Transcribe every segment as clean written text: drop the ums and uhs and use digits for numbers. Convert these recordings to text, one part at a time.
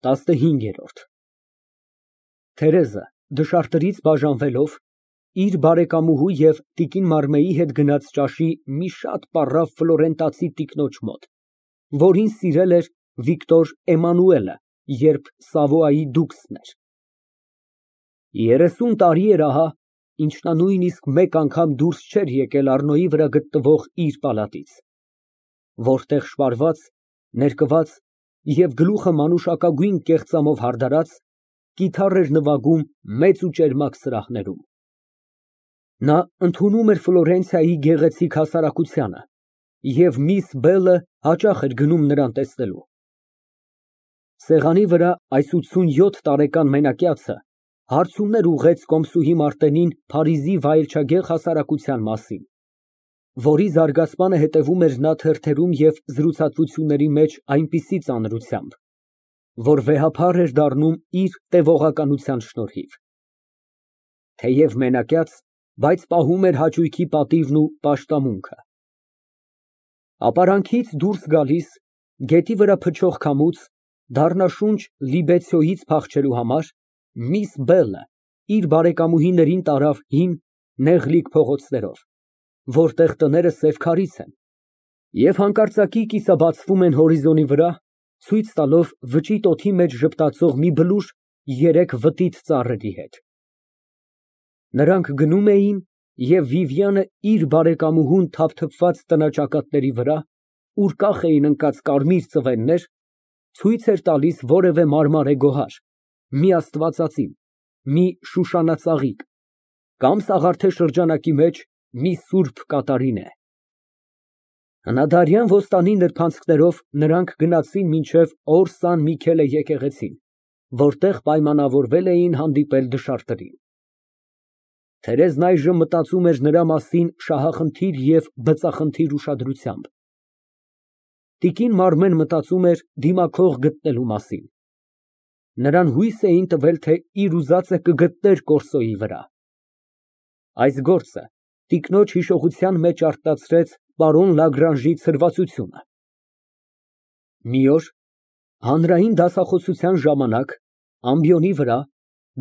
ՏԱՍՆՀԻՆԳԵՐՈՐԴ Թերեզը դշարտներից բաժանվելով, իր բարեկամուհու և տիկին Մարմեի հետ գնաց ճաշի մի շատ պառավ ֆլորենտացի տիկնոջ մոտ, որին սիրել էր Վիկտոր Էմանուելը, երբ Սավոյայի դուքսն էր։ 30 տարի էր ահա, ինչ նա նույնիսկ մեկ անգամ դուրս չէր եկել Առնոյի վրա գտնվող իր պալատից, որտեղ շպարված, ներկված և գլուխը մանուշակագույն կեղծամով հարդարած, կիթառ էր նվագում մեծ ու ճերմակ սրահներում։ Նա ընդունում էր Ֆլորենցիայի գեղեցիկ հասարակությանը և միս Բելը հաճախ էր գնում նրան տեսնելու։ Սեղանի վրա այս 87 տարեկան մենակյացը հարցումներ ուղղեց կոմսուհի Մարտենին Փարիզի վայելչագեղ հասարակության մասին, որի զարգացմանը հետևում էր նա թերթերում և զրուցակցությունների մեջ այնպիսի ծանրությամբ, որ վեհափառ էր դառնում իր տևողականության շնորհիվ։ Թեև մենակյաց, բայց պահում էր հաճույքի պատիվն ու պաշտամունքը։ Ապարանքից դուրս գալիս, գետի վրա փչող քամուց, դառնաշունչ լիբեցյոյից փախչելու համար, միս Բելը իր բարեկամուհիներին տարավ հին, նեղլիկ փողոցներով, որտեղ տները սև քարից են, և հանկարծակի կիսաբացվում են հորիզոնի վրա, ցույց տալով վճիտ օդի մեջ ժպտացող մի բլուր երեք վտիտ ծառերի հետ։ Նրանք գնում էին, և Վիվիանը իր բարեկամուհուն թափթփված տնաճակատների վրա, ուր կախ էին ընկած կարմիր ծվեններ, ցույց էր տալիս որևէ մարմարե գոհար, մի աստվածածին, մի շուշանածաղիկ, կամ սաղարթե շրջանակի մեջ մի սուրբ կատարինե։ Հնադարյան ոստանի նրբանցքներով նրանք գնացին մինչև Օր Սան Միքելե եկեղեցին, որտեղ պայմանավորվել էին հանդիպել դշարտներին։ Թերեզն այժմ մտածում էր նրա մասին շահախնդիր և բծախնդիր ուշադրությամբ։ Տիկին Մարմեն մտածում էր դիմախոհ գտնելու մասին։ Նրան հույս էին տվել, թե իր ուզածը կգտներ կորսոյի վրա։ Այս գործը տիկնոջ հիշողության մեջ արթնացրեց պարոն Լագրանժի ցրվածությունը։ Մի օր, հանրային դասախոսության ժամանակ, ամբիոնի վրա,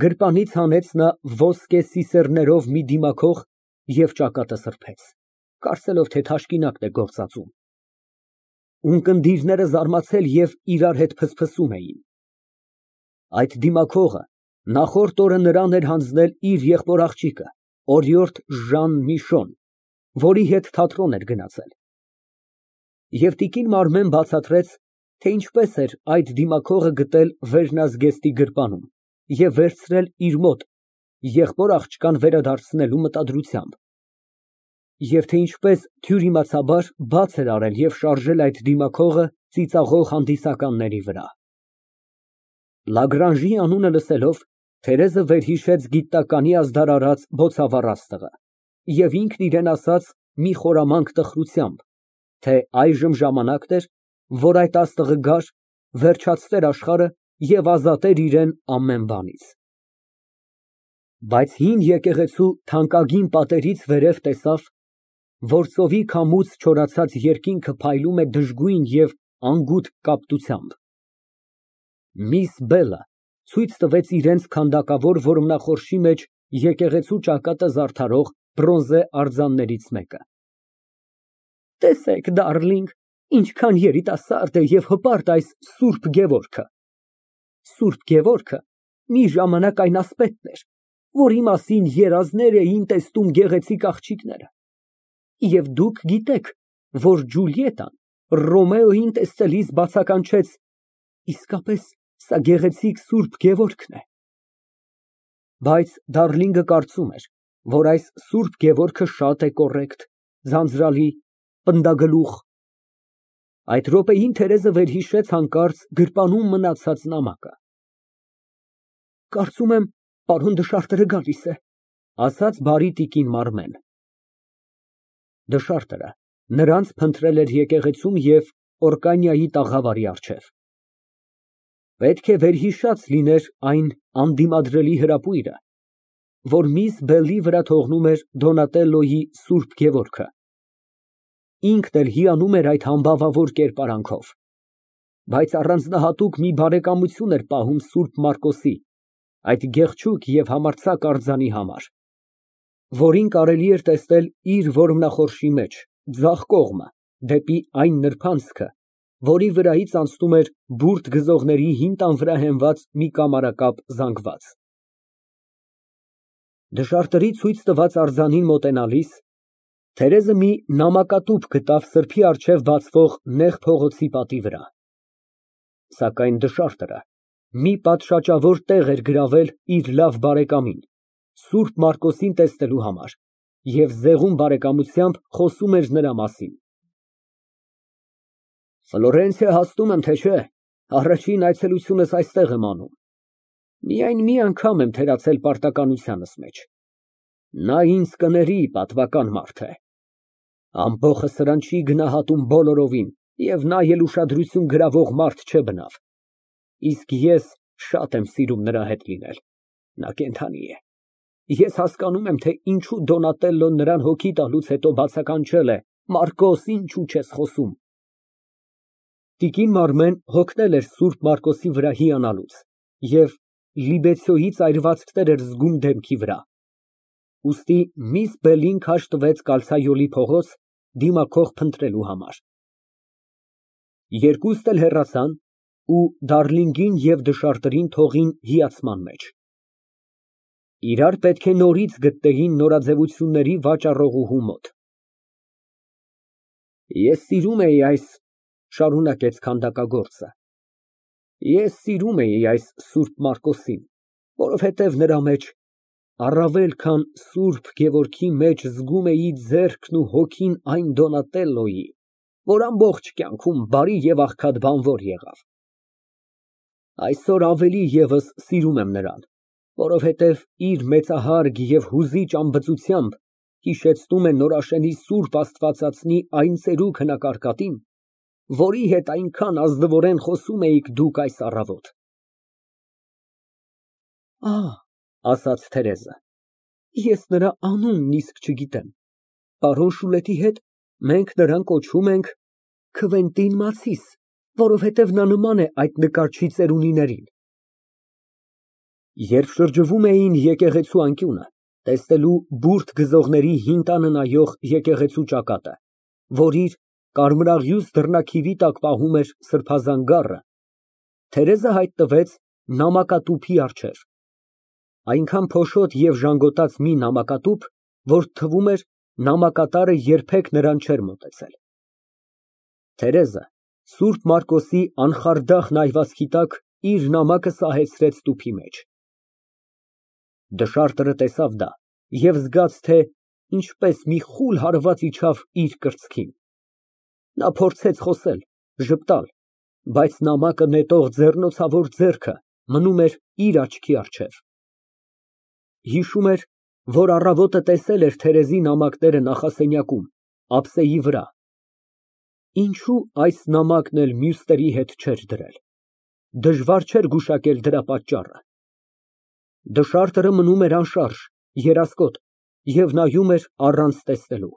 գրպանից հանեց նա ոսկե սիսեռներով մի դիմախոհ և ճակատը սրբեց, կարծելով, թե թաշկինակն է գործածում։ Ունկնդիրները զարմացել և իրար հետ ֆսֆսում էին։ Այդ դիմախոհը նախորդ օրը նրան էր հանձնել իր եղբոր աղջիկը, օրիորդ Ժան Միշոն, որի հետ թատրոն էր գնացել։ Եվ տիկին Մարմեն բացատրեց, թե ինչպես էր այդ դիմախոհը գտել վերնազգեստի գրպանում և վերցրել իր մոտ եղբոր աղջկան վերադարձնելու մտադրությամբ, և թե ինչպես թյուրիմացաբար բաց էր արել և շարժել այդ դիմախոհը ծիծաղող հանդիսականների վրա։ Լագրանժի անունը լսելով, Թերեզը վերհիշեց գիտականի ազդարարած բոցավառ աստղը և ինքն իրան ասաց մի խորամանկ տխրությամբ, թե այժմ ժամանակն էր, որ այդ աստղը գար, վերջացներ աշխարհը և ազատեր իրան ամեն բանից։ Բայց հին եկեղեցու թանկագին պատերից վերև տեսավ, որ ծովի քամուց չորացած երկինքը փայլում է դժգույն և անգութ կապտությամբ։ Միս Բելը ցույց տվեց իրենց քանդակավոր որմնախորշի մեջ եկեղեցու ճակատը զարդարող բրոնզե արձաններից մեկը։ Տեսեք, դարլինգ, ինչքան երիտասարդ է և հպարտ այս Սուրբ Գևորգը։ Սուրբ Գևորգը մի ժամանակ այն ասպետն էր, որի մասին երազներ էին տեսնում գեղեցիկ աղջիկները։ Եվ դուք գիտեք, որ Ջուլիետան Ռոմեոյին տեսնելիս բացականչեց. իսկապես սա գեղեցիկ Սուրբ Գևորգն է։ Բայց դարլինգը կարծում էր, որ այս Սուրբ Գևորգը շատ է կոռեկտ, ձանձրալի, պնդագլուխ։ Այդ րոպեին Թերեզը վերհիշեց հանկարծ գրպանում մնացած նամակը։ Կարծում եմ, պարոն դշարտերը գալիս է, ասաց բարի տիկին Մարմեն։ Դշարտը նրանց փնտրել էր եկեղեցում և Օրկանիայի տաղավարի առջև։ Պետք է վերհիշած լիներ այն անդիմադրելի հրապույրը, որ միս Բելի վրա թողնում էր Դոնատելլոյի Սուրբ Գևորգը։ Ինքն էլ հիանում էր այդ համբավավոր կերպարանքով։ Բայց առանձնահատուկ մի բարեկամություն էր պահում Սուրբ Մարկոսի, այդ գեղեցիկ և համարձակ արձանի համար, որին կարելի էր տեսնել իր որմնախորշի մեջ, ձախ կողմը, դեպի այն նրբանցքը, որի վրայից անցնում էր բուրդ գզողների հին տան վրա հենված մի կամարակապ զանգված։ Դժարտերի ցույց տված արձանին մոտենալիս, Թերեզը մի նամակատուփ գտավ սրբի առջև բացվող նեղ փողոցի պատի վրա, սակայն դժարտը մի պատշաճավոր տեղ էր գրավել իր լավ բարեկամին, Սուրբ Մարկոսին տեսնելու համար, և զեղում բարեկամությամբ խոսում էր նրա մասին։ Ֆլորենցիա հասնում եմ, թե չէ, առաջին այցելությունս այստեղ եմ անում։ Միայն մի անգամ եմ թերացել պարտականությանս մեջ։ Նա ինձ կների, պատվական մարդ է։ Ամբոխը սրան չի գնահատում բոլորովին, և նա էլ ուշադրություն գրավող մարդ չէ բնավ։ Իսկ ես շատ եմ սիրում նրա հետ լինել։ Նա կենդանի է։ Ես հասկանում եմ, թե ինչու Դոնատելլոն նրան հոգի տալուց հետո բացականչել է. Մարկոս, ինչու չես խոսում։ Տիկին Մարմեն հոգնել էր Սուրբ Մարկոսի վրա հիանալուց և լիբեցիոյից այրվածքներ էր զգում դեմքի վրա։ Ուստի միս Բելին քաշ տվեց կալցայոլի փողոց, դիմախոհ փնտրելու համար։ Երկուստ էլ հեռացան ու Դարլինգին և դժարտերին թողին հիացման մեջ։ Իրար պետք է նորից գտնեին նորաձևությունների վաճառողուհու մոտ։ Ես սիրում էի շարունակեց քանդակագործը, ես սիրում էի այս Սուրբ Մարկոսին, որովհետև նրա մեջ, առավել քան Սուրբ Գևորգի մեջ զգում էի ձեռքն ու հոգին այն Դոնատելլոյի, որ ամբողջ կյանքում բարի և աղքատ բանվոր եղավ։ Այսօր ավելի ևս սիրում եմ նրան, որովհետև իր մեծահարգ և հուզիչ անբծությամբ հիշեցնում է Նորաշենի Սուրբ Աստվածածնի այն ծերուկ հնակարկատին, որի հետ այնքան ազնվորեն խոսում էիք դուք այս առավոտ։ Ահ, ասաց Թերեզը, ես նրա անունն իսկ չգիտեմ։ Պարոն Շուլետի հետ մենք նրան կոչում ենք Քվենտին Մացիս, որովհետև նա նման է այդ նկարչի ծերունիներին։ Երբ շրջվում էին եկեղեցու անկյունը, տեսնելու բուրդ գզողների հին տանը նայող եկեղեցու ճակատը, որ իր կարմրաղյուս դռնաքիվի տակ պահում էր սրբազան գառը, Թերեզը հայտնվեց նամակատուփի առջև, այնքան փոշոտ և ժանգոտած մի նամակատուփ, որ թվում էր նամակատարը երբեք նրան չէր մոտեցել։ Թերեզը Սուրբ Մարկոսի անխարդախ նայվածքի տակ իր նամակը սահեցրեց տուփի մեջ։ Դժարտը տեսավ դա և զգաց, թե ինչպես մի խուլ հարված իջավ իր կրծքին։ Նա փորձեց խոսել, ժպտալ, բայց նամակը նետող ձեռնոցավոր ձեռքը մնում էր իր աչքի առջև։ Հիշում էր, որ առավոտը տեսել էր Թերեզի նամակները նախասենյակում, ափսեի վրա։ Ինչո՞ւ այս նամակն էլ մյուսների հետ չէր դրել։ Դժվար չէր գուշակել դրա պատճառը։ Դժարտը մնում էր անշարժ, երասկոտ և նայում էր առանց տեսնելու։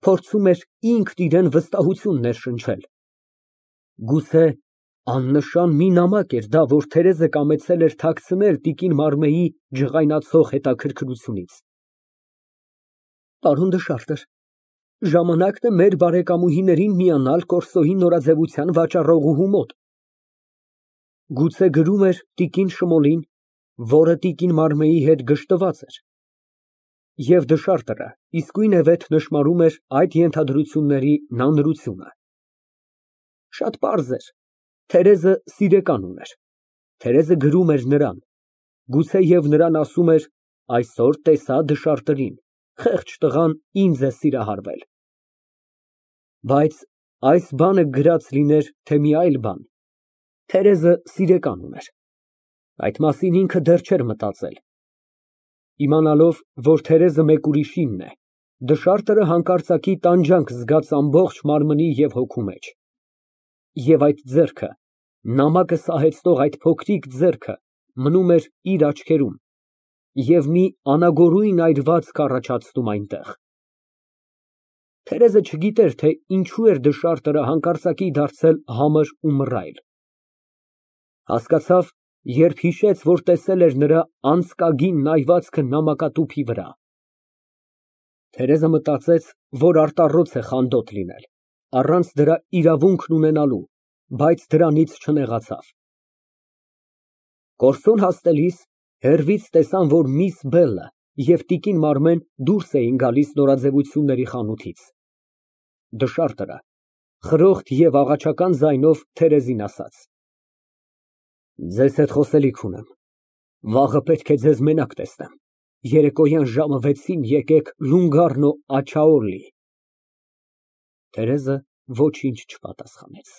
Փորձում էր ինքն իրան վստահություն ներշնչել։ Գուցե աննշան մի նամակ էր դա, որ Թերեզը կամեցել էր թաքցնել տիկին Մարմեի ջղայնացող հետաքրքրությունից։ Պարոն դժարտեր, ժամանակն է մեր բարեկամուհիներին միանալ Կորսոյի նորաձևության վաճառողուհու մոտ։ Գուցե գրում էր տիկին Շմոլին, որը տիկին Մարմեի հետ գժտված էր։ Եվ դժարտը իսկույնևեթ նշմարում էր այդ ենթադրությունների նանրությունը։ Շատ պարզ էր, Թերեզը սիրեկան ուներ, Թերեզը գրում էր նրան, գուցեև նրան ասում էր. այսօր տեսա դժարտին, խեղճ տղան ինձ է սիրահարվել։ Բայց այս բանը գրած լիներ, թե մի այլ բան, Թերեզը սիրեկան ուներ։ Այդ մասին ինքը դեռ չէր մտածել։ Իմանալով, որ Թերեզը մեկ ուրիշինն է, դժարտը հանկարծակի տանջանք զգաց ամբողջ մարմնի և հոգու մեջ։ Եվ այդ ձեռքը, նամակը սահեցնող այդ փոքրիկ ձեռքը մնում էր իր աչքերում և մի անագորույն այրվածք առաջացնում այնտեղ։ Թերեզը չգիտեր, թե ինչու էր դժարտը հանկարծակի դարձել համր ու մռայլ, հասկացավ, երբ հիշեց, որ տեսել էր նրա անցկագին նայվածքը նամակատուփի վրա։ Թերեզը մտածեց, որ արտառոց է խանդոտ լինել, առանց դրա իրավունքն ունենալու, բայց դրանից չնեղացավ։ Կորսուն հասնելիս հեռվից տեսան, որ միս Բելը և տիկին Մարմեն դուրս էին գալիս նորաձևությունների խանութից։ Դժարտը խրոխտ և աղաչական ձայնով Թերեզին ասաց. Ձեզ հետ խոսելիք ունեմ, վաղը պետք է ձեզ մենակ տեսնեմ, երեկոյան ժամը 6-ին եկեք Լունգարնո Աջաուլի։ Թերեզը ոչինչ չպատասխանեց։